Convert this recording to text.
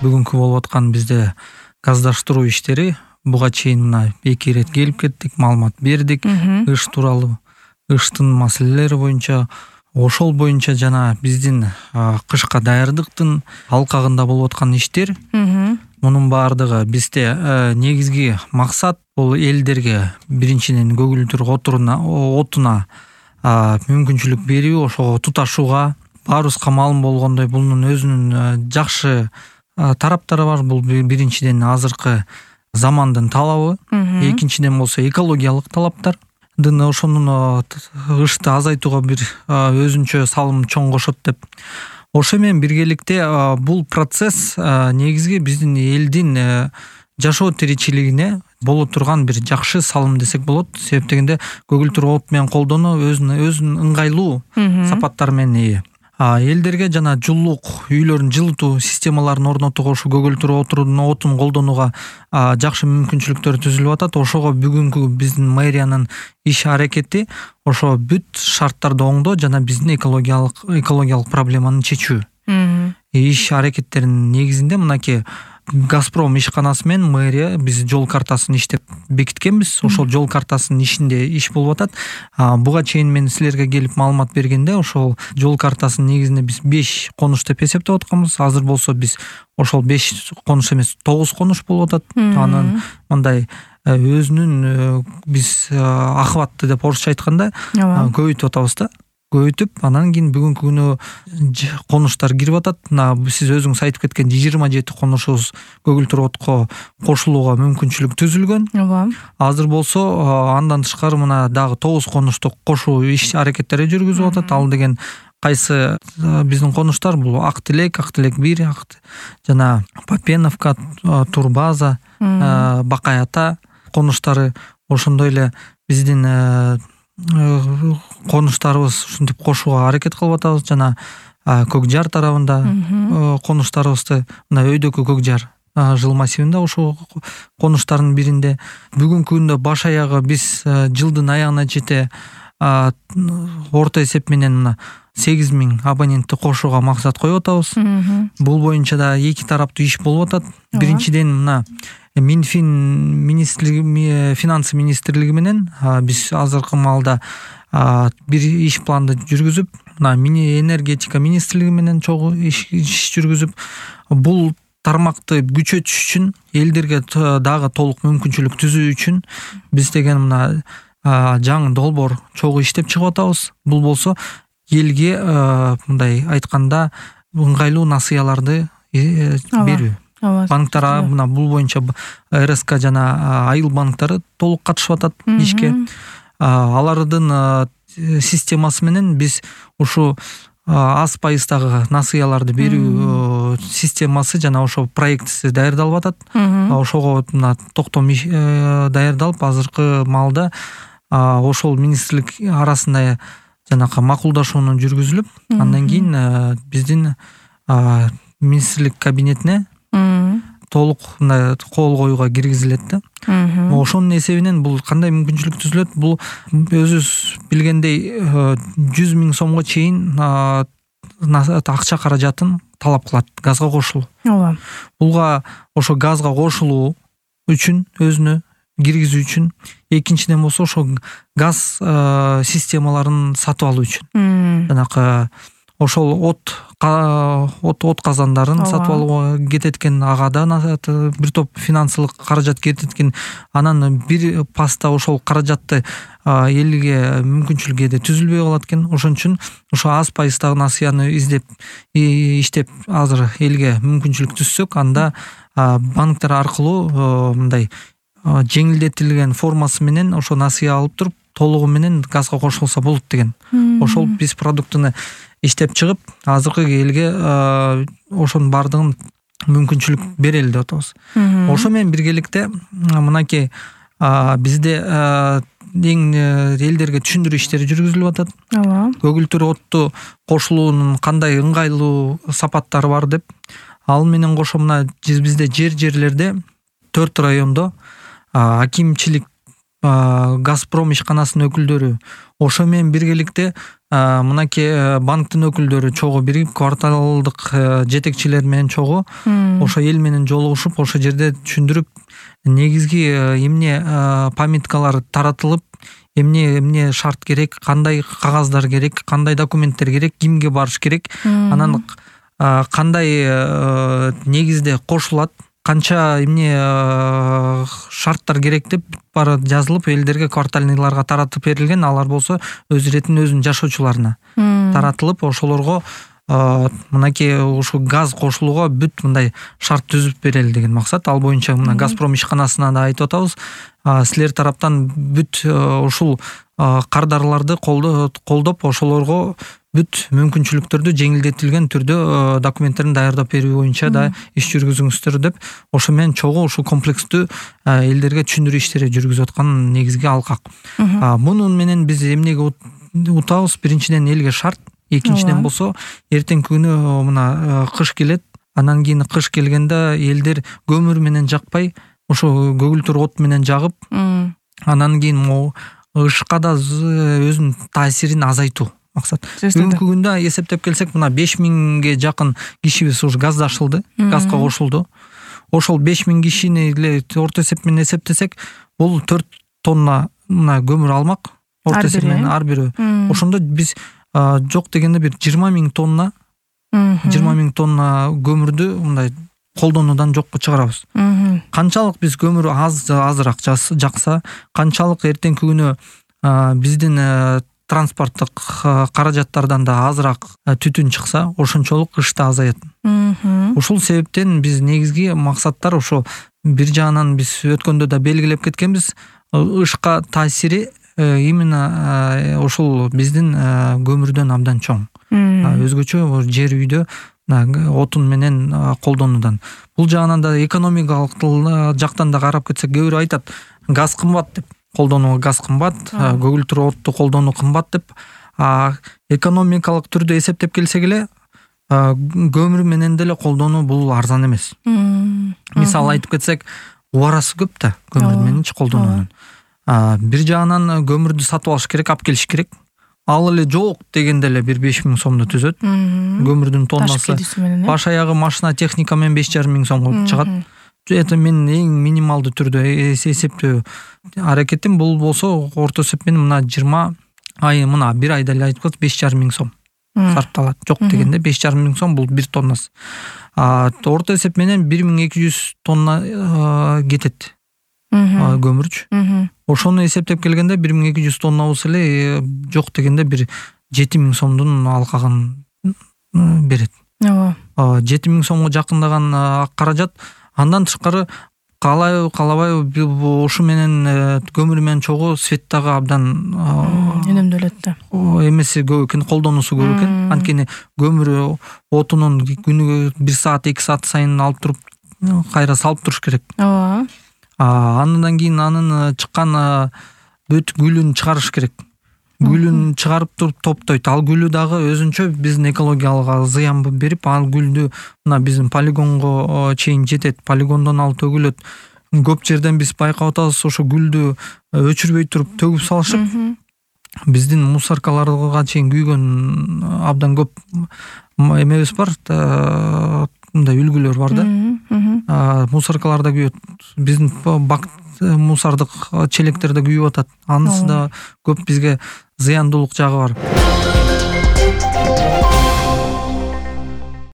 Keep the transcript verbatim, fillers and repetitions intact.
бүгүнкү болуп аткан бизде газдаштыруу иштери буга чейин мына эки ирет келип кеттик, маалымат бердик ыш тууралуу, ыштын маселелери боюнча, ошол боюнча жана биздин кышка даярдыктын алкагында болуп аткан иштер. Мунун баардыгы бизде негизги максат бул элдерге биринчиден көгүлдүр отуна мүмкүнчүлүк берүү, ошого туташууга. Баарыбызга маалым болгондой, бунун өзүнүн жакшы тараптары бар. Бул биринчиден азыркы замандын талабы, экинчиден болсо экологиялык талаптар. Ошонун ышты азайтууга бир өзүнчө салым чоң кошот деп. Ошо менен биргеликте бул процесс негизги биздин элдин жашоо тиричилигине боло турган бир жакшы салым десек болот. Себеп дегенде көгүлдүр от менен колдонуу өзүнүн ыңгайлуу сапаттары менен ээ. Элдерге жана жылуулук үйлөрүн жылытуу системаларын орнотууга ушу көгүлдүр отун колдонууга жакшы мүмкүнчүлүктөр түзүлүп атат. Ошого бүгүнкү биздин мэриянын иш аракети ошо бүт шарттарды оңдоо жана биздин экологиялык экологиялык проблеманы чечүү. Иш аракеттеринин негизинде мынакей Газпром ишканасы менен мэрия биз жол картасын иштеп бекиткенбиз. Ошол жол картасынын ишинде иш болуп атат. Буга чейин мен силерге келип маалымат бергенде ошол жол картасынын негизинде биз беш конуш деп эсептеп атканбыз. Азыр болсо биз ошол беш конуш эмес, тогуз конуш болуп атат. Анын мындай өзүнүн биз охватты деп орусча айтканда көбөйтүп атабыз да. Көбөйтүп, анан кийин бүгүнкү күнү конуштар кирип атат. Мына сиз өзүңүз айтып кеткен жыйырма жети конушубуз көгүлдүр отко кошулууга мүмкүнчүлүк түзүлгөн. Азыр болсо андан тышкары мына дагы тогуз конушту кошуу иш аракеттери жүргүзүп атат. Ал деген кайсы биздин конуштар? Бул Ак Тилек, Ак Тилек бир, жана Попеновка, Турбаза, Бакай Ата конуштары. Ошондой эле биздин конуштарыбыз ушинтип кошууга аракет кылып атабыз. Жана Көк Жар тарабында конуштарыбызды, мына өйдөкү Көк Жар жыл массивинде ошол конуштардын биринде. Бүгүнкү күндө баш аягы биз жылдын аягына чете орто эсеп менен мына сегиз миң абонентти кошууга максат коюп атабыз. Бул боюнча да эки тараптуу иш болуп атат. Биринчиден мына Минфин министрлиги, финанс министрлиги менен биз азыркы маалда бир иш планды жүргүзүп, мына энергетика министрлиги менен чогуу иш жүргүзүп, бул тармакты күчөтүш үчүн, элдерге дагы толук мүмкүнчүлүк түзүү үчүн биз деген мына жаңы долбоор чогуу иштеп чыгып атабыз. Бул болсо элге мындай айтканда ыңгайлуу насыяларды берүү. Банктар мына бул боюнча эр эс ка жана айыл банктары толук катышып атат ишке. Алардын системасы менен биз ушу аз пайыздагы насыяларды берүү системасы жана ошо проектиси даярдалып атат. Ошого мына токтом даярдалып, азыркы маалда ошол министрлик арасында жанакы макулдашууну жүргүзүлүп, андан кийин биздин министрлик кабинетине толук мындай кол коюуга киргизилет да. Ошонун эсебинен бул кандай мүмкүнчүлүк түзүлөт? Бул өзүбүз билгендей жүз миң сомго чейин акча каражатын талап кылат газга кошулуу. Ооба. Булга ошо газга кошулуу үчүн өзүнө киргизүү үчүн, экинчиден болсо ошо газ системаларын сатып алуу үчүн. Жанакы ошол от от от казандарын сатып алууга кетет экен, агадан бир топ финансылык каражат кетет экен. Анан бир паста ошол каражатты элге мүмкүнчүлүк эде түзүлбөй калат экен. Ошон үчүн ошо аз пайыздагы насыяны издеп иштеп азыр элге мүмкүнчүлүк түзсөк, анда банктар аркылуу мындай жеңилдетилген формасы менен ошо насыя алып туруп толугу менен газга кошулса болот деген. Ошол биз продуктуну иштеп чыгып, азыркы элге ошонун бардыгын мүмкүнчүлүк берели деп атабыз. Ошо менен биргеликте мынакей бизде эң элдерге түшүндүрүү иштери жүргүзүлүп атат. Көгүлдүр отту кошулуунун кандай ыңгайлуу сапаттары бар деп. Ал менен кошо мына бизде жер жерлерде төрт райондо акимчилик Газпром ишканасынын өкүлдөрү, ошо менен биргеликте мынакей банктын өкүлдөрү чогуу биригип кварталдык жетекчилер менен чогуу ошо эл менен жолугушуп ошо жерде түшүндүрүп, негизги эмне памяткалар таратылып, эмне эмне шарт керек, кандай кагаздар керек, кандай документтер керек, кимге барыш керек, анан кандай негизде кошулат, канча эмне шарттар керек деп баары жазылып элдерге, квартальныйларга таратып берилген. Алар болсо өз иретин өзүнүн жашоочуларына таратылып, ошолорго мынакей ушу газ кошулууга бүт мындай шарт түзүп берели деген максат. Ал боюнча мына Газпром ишканасына да айтып атабыз. Силер тараптан бүт ушул кардарларды колдоп, ошолорго бүт мүмкүнчүлүктөрдү жеңилдетилген түрдө документтерин даярдап берүү боюнча да иш жүргүзүңүздөр деп, ошо менен чогуу ушул комплекстүү элдерге түшүндүрүү иштери жүргүзүп аткан негизги алкак. Мунун менен биз эмнеге утабыз? Биринчиден элге шарт, экинчиден болсо эртеңки күнү мына кыш келет, анан кийин кыш келгенде элдер көмүр менен жакпай, ошо көгүлтүр от менен жагып, анан кийин могу ышка да өзүнүн таасирин азайтуу максат. Бүгүнкү күндө эсептеп келсек, мына беш миңге жакын кишибиз ушу газдашылды, газга кошулду. Ошол беш миң кишини эле орто эсеп менен эсептесек, бул төрт тонна мына көмүр алмак орто эсеп менен ар бирөө. Ошондо биз жок дегенде бир жыйырма миң тонна жыйырма миң тонна көмүрдү мындай колдонуудан жокко чыгарабыз. Канчалык биз көмүр аз азыраак жакса, канчалык эртеңки күнү биздин транспорттук каражаттардан да азыраак түтүн чыкса, ошончолук кыш да азаят. Ушул себептен биз негизги максаттар ошо бир жагынан биз өткөндө да белгилеп кеткенбиз, ышка таасири именно ушул биздин көмүрдөн абдан чоң. Өзгөчө жер үйдө отун менен колдонуудан. Бул жагынан да экономикалык жактан да карап кетсек, кээ бирөө айтат, газ кымбат деп. Колдонууга газ кымбат, көгүлтүр отту колдонуу кымбат деп. Экономикалык түрдө эсептеп келсек эле, көмүр менен деле колдонуу бул арзан эмес. Мисалы айтып кетсек, убарасы көп да көмүр мененчи колдонуунун. Бир жагынан көмүрдү сатып алыш керек, алып келиш керек. Ал эле жок дегенде эле бир беш миң сомду түзөт. Көмүрдүн тоннасы баш аягы машина техника менен беш жарым миң сомго чыгат. Это мен эң минималдуу түрдө эсептөө аракетим. Бул болсо орто эсеп менен мына жыйырма ай, мына бир айда эле айтып коет, беш жарым миң сом сарпталат. Жок дегенде беш жарым миң сом, бул бир тоннасы. Орто эсеп менен бир миң эки жүз тонна кетет көмүрчү. Ошону эсептеп келгенде бир миң эки жүз тонна болсо эле жок дегенде бир жети миң сомдун алкагын берет. Ооба. жети миң сомго жакындаган каражат. Андан тышкары калай калабай ушу менен көмүр менен чогуу свет дагы абдан өнөмдөлөт да. Эмеси көп экен, колдонуусу көп экен. Анткени көмүр отунун күнүгө бир саат, эки саат сайын алып туруп кайра салып туруш керек. Ооба. Андан кийин анын чыккан бүт гүлүн чыгарыш керек. Гүлүн чыгарып туруп топтойт. Ал гүлү дагы өзүнчө биздин экологиялык зыян берип, ал гүлдү мына биздин полигонго чейин жетет. Полигондон ал төгүлөт. Көп жерден биз байкап атабыз, ошо гүлдү өчүрбөй туруп төгүп салышып, биздин мусоркаларга чейин күйгөн абдан көп эмебиз бар, мындай үлгүлөр бар да. Мусоркаларда күйөт. Биздин бак мусордук челектерде күйүп атат. Анысы да көп бизге зыяндуулук жагы бар.